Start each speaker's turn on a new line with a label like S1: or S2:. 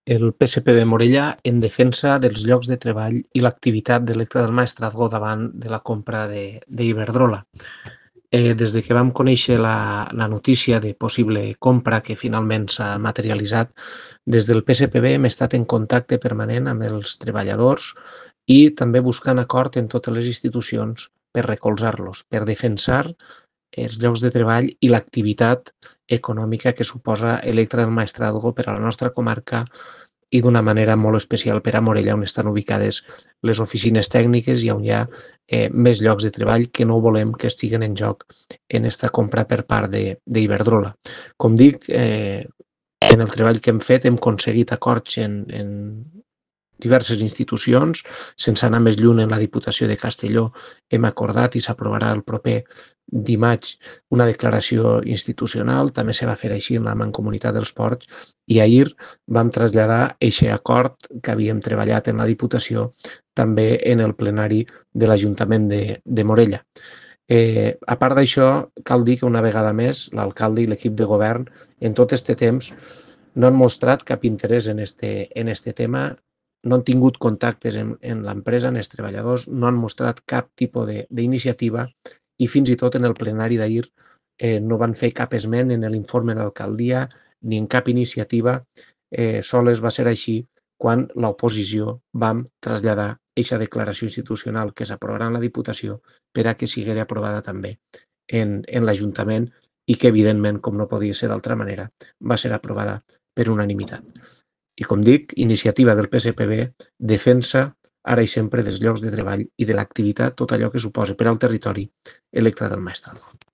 S1: El PSPB Morella en defensa dels llocs de treball i l'activitat d'Electra del Maestrazgo davant de la compra d'Iberdrola. Des que vam conèixer la notícia de possible compra que finalment s'ha materialitzat, des del PSPB hem estat en contacte permanent amb els treballadors i també buscant acord en totes les institucions per recolzar-los, per defensar els llocs de treball i l'activitat econòmica que suposa Electra del Maestrazgo per a la nostra comarca i d'una manera molt especial per a Morella, on estan ubicades les oficines tècniques i on hi ha més llocs de treball que no volem que estiguen en joc en aquesta compra per part d'Iberdrola. Com dic, en el treball que hem fet hem aconseguit acords en diverses institucions, sense anar més lluny en la Diputació de Castelló hem acordat i s'aprovarà el proper dimarts una declaració institucional, també se va fer així en la Mancomunitat dels Ports i ahir vam traslladar aquest acord que havíem treballat en la Diputació també en el plenari de l'Ajuntament de Morella. A part d'això, cal dir que una vegada més l'alcalde i l'equip de govern en tot aquest temps no han mostrat cap interès en este tema, no han tingut contactes en l'empresa, en els treballadors, no han mostrat cap tipus d'iniciativa i fins i tot en el plenari d'ahir no van fer cap esment en l'informe de l'alcaldia ni en cap iniciativa, sols va ser així quan l'oposició vam traslladar aquesta declaració institucional que s'aprovarà en la Diputació per a que sigui aprovada també en l'Ajuntament i que, evidentment, com no podia ser d'altra manera, va ser aprovada per unanimitat. I com dic, iniciativa del PSPB, defensa ara i sempre dels llocs de treball i de l'activitat, tot allò que suposa per al territori Electra del Maestrazgo.